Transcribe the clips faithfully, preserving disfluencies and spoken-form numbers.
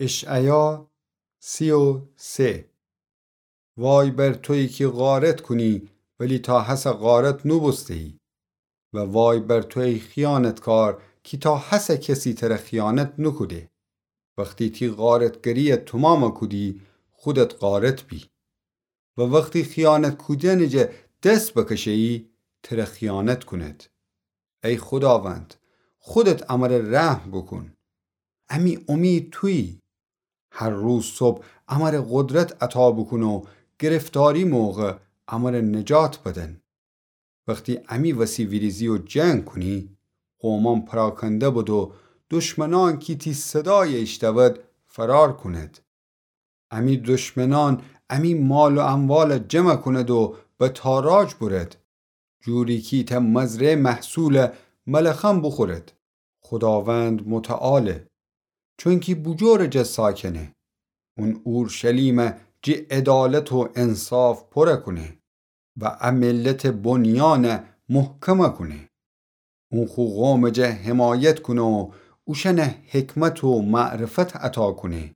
اشعیا سی و سه. وای بر تویی کی غارت کونی، ولی تا هسه غارت نوبوسته‌یی. و وای بر تو ای خیانتکار کی تا هسه کسی تره خیانت نوکوده. وختی تی غارتگری‌یه تومامه کودی، خودت غارت بی. و وختی خیانت کودنٚ جا دس بکشه‌یی، تره خیانت کونید. ای خوداوند، خودت امره رحم بوکون. امی امید تویی. هر روز صبح امره قدرت عطا بوکون و گرفتاری موقع امره نجات بدن. وختی امی وسی ویریزی و جنگ کونی، قومأن پراکنده بد و دشمنأن کی تی صدایه ایشتود، فرار کونید. امی دشمنأن امی مال و اموال جمع کونید و به تاراج برید، جوری کی ایتأ مزرعه محصول ملخأن بوخورید. خوداوند متعاله، چونکی بوجور جا ساکنه. اون اورشلیم جی عدالت و انصاف پوره کونه و ا ملت بنیان محکم کونه. اون خو قوم جا حمایت کونه و اوشأن حکمت و معرفت عطا کونه.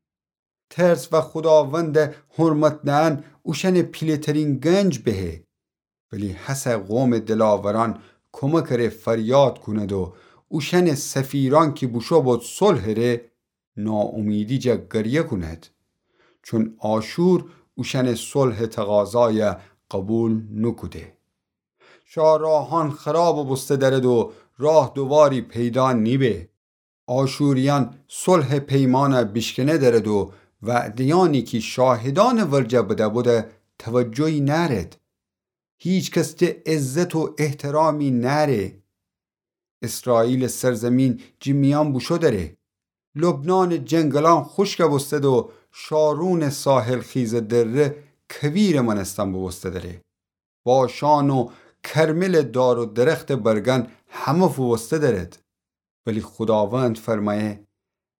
ترس و خوداوند حرمت دئن اوشأن پیله‌ترین گنج بهه. ولی هسه قوم دلاورأن کمک ره فریاد کونید و اوشأن سفیرأن کی بوشو بود صلح ره، ناامیدی جا گریه کونید. چون آشور اوشأن صلح تقاضای قبول نوکوده. شاهراهأن خراب بوسته درد و راه دوواری پیدا نیبه. آشوریأن صلح پیمأن بیشکنه درد و وعده‌یأنی کی شاهدأن ورجه بده بوده توجهی نأرد. هیکس جه عزت و احترامی نأره. اسرائیل سرزمین جی میأن بوشو دره. لبنان جنگلأن خوشک بوستد و شارون ساحل خیز دره کویر مأنستن بوبوسته دره. باشان و کرمل دار و درخت برگأن همه فووسته درد. ولی خوداوند فرمأیه،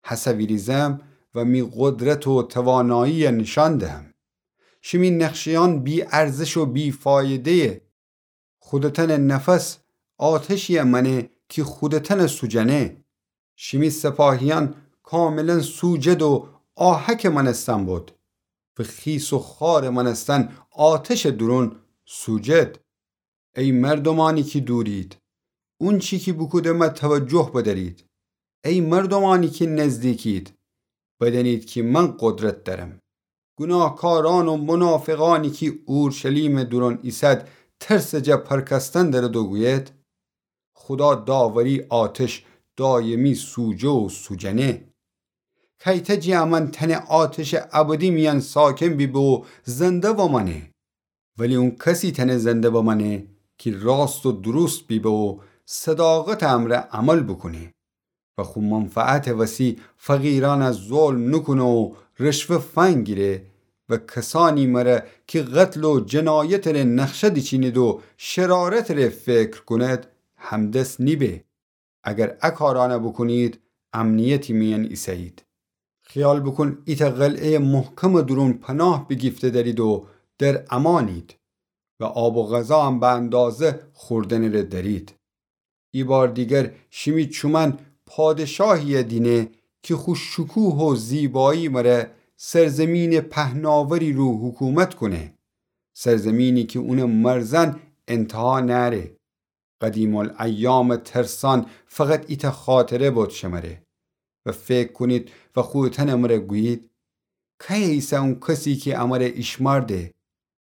هسه ویریزم و می قدرت و توانایی نیشأن دهم. شیمی نقشه‌یأن بی‌ارزش و بی‌فایده‌یه. خودتأن نفس آتشی مأنه کی خودتأن سوجأنه. شیمی سپاهیأن کاملا سوجد و آهک مأنستن بود. و خیس و خوار مأنستن آتش دورون سوجد. ای مردومأنی کی دورید، اونچی کی بوکودمه توجه بدأرید. ای مردومأنی کی نزدیکید، بدأنید کی من قدرت دأرم. گوناهکارأن و منافقأنی کی اورشلیم دورون ایسد ترس جا پرکستن درد و گوید، خودا داوری آتش دایمی سوجه و سوجأنه. کیته جی امأن تأنه آتش ابدی میأن ساکن بیبه و زنده بمأنه. ولی اون کسی تأنه زنده بمأنه کی راست و دوروست بیبه و صداقت امرأ عمل بوکونه و خو منفعت وسی فقیرأن ظلم نوکونه و رشوه فنگیره و کسأنی مره کی قتل و جنایت ره نقشه دیچینید و شرارت ره فکر کونید همدس نیبه. اگر ا کارأنه بوکونید، امنیتی میأن ایسه‌یید. خیال بوکون ایتأ قلعه‌ی محکم دورون پناه بیگیفته دأرید و در امأنید و آب و غذا هم به اندازه خوردنٚ ره دأرید. ایبار دیگر شیمی چومأن پادشاهی دینه کی خو شکوه و زیبایی مره سرزمینٚ پهناوری رو حکومت کونه، سرزمینی کی اونٚ مرزأن انتها نأره. قدیم‌الایامٚ ترسأن فقط ایتأ خاطره بود شمره و فکر کونید و خوتأنٚ مره گویید، کأیه ایسه اون کسی کی امره ایشمأرده؟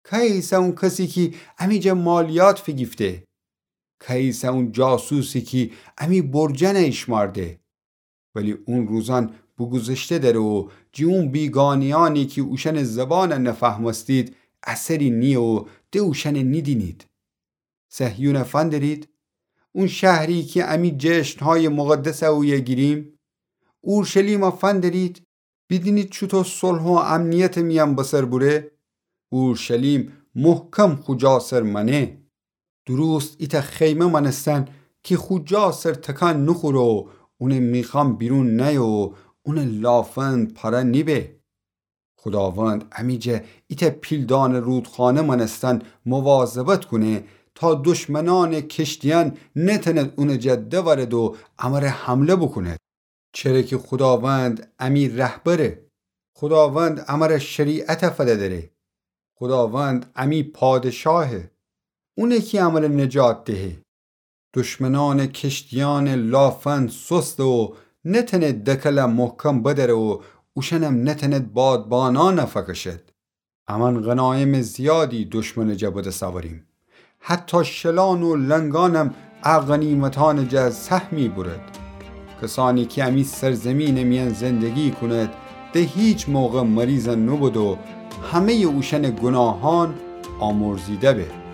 کأیه ایسه اون کسی کی امی جا مالیات فیگیفته؟ کأیه ایسه اون جاسوسی کی امی برجأنه ایشمأرده؟ ولی اون روزأن بوگوذشته دره و جی اون بیگانه‌یأنی کی اوشأنٚ زبان نفهمستید، اثری نییه و د اوشأنه نیدینید. صهیونه فندرید، اون شهری کی امی جشنهای مقدس اویه گیریم. اورشلیمه فندرید، بیدینید چوطو صلح و امنیتٚ میأن بسر بوره. اورشلیم محکم خو جا سر مأنه. دوروست ایتأ خیمه مأنستن کی خو جا سر تکان نوخوره و اونٚ میخأن بیرون نأیه و اونٚ لافند پاره نیبه. خوداوند امی جا ایتأ پیلدانٚ رودخانه مأنستن مواظبت کونه تا دشمنأنٚ کشتیأن نتأند اونٚ جا دورد و امره حمله بوکوند. چره کی خوداوند امی رهبره. خوداوند امره شریعت فده‌دره. خوداوند امی پادشاهه. اونه کی امره نجات دهه. دشمنأنٚ کشتیأنٚ لافند سسته و نتأنه دکله محکم بدره و اوشأنم نتأنه بادبانأن فکشد. امأن غنایمٚ زیادی دشمنٚ جا به دس أوریم. حتی شلأن و لنگأنم ا غنیمتأنٚ جا سهمی بورد. کسأنی کی امی سرزیمینٚ میأن زندگی کونید، ده هیچ موقع مریض نوبود و همه‌یٚ اوشأنٚ گوناهأن آمرزیده به.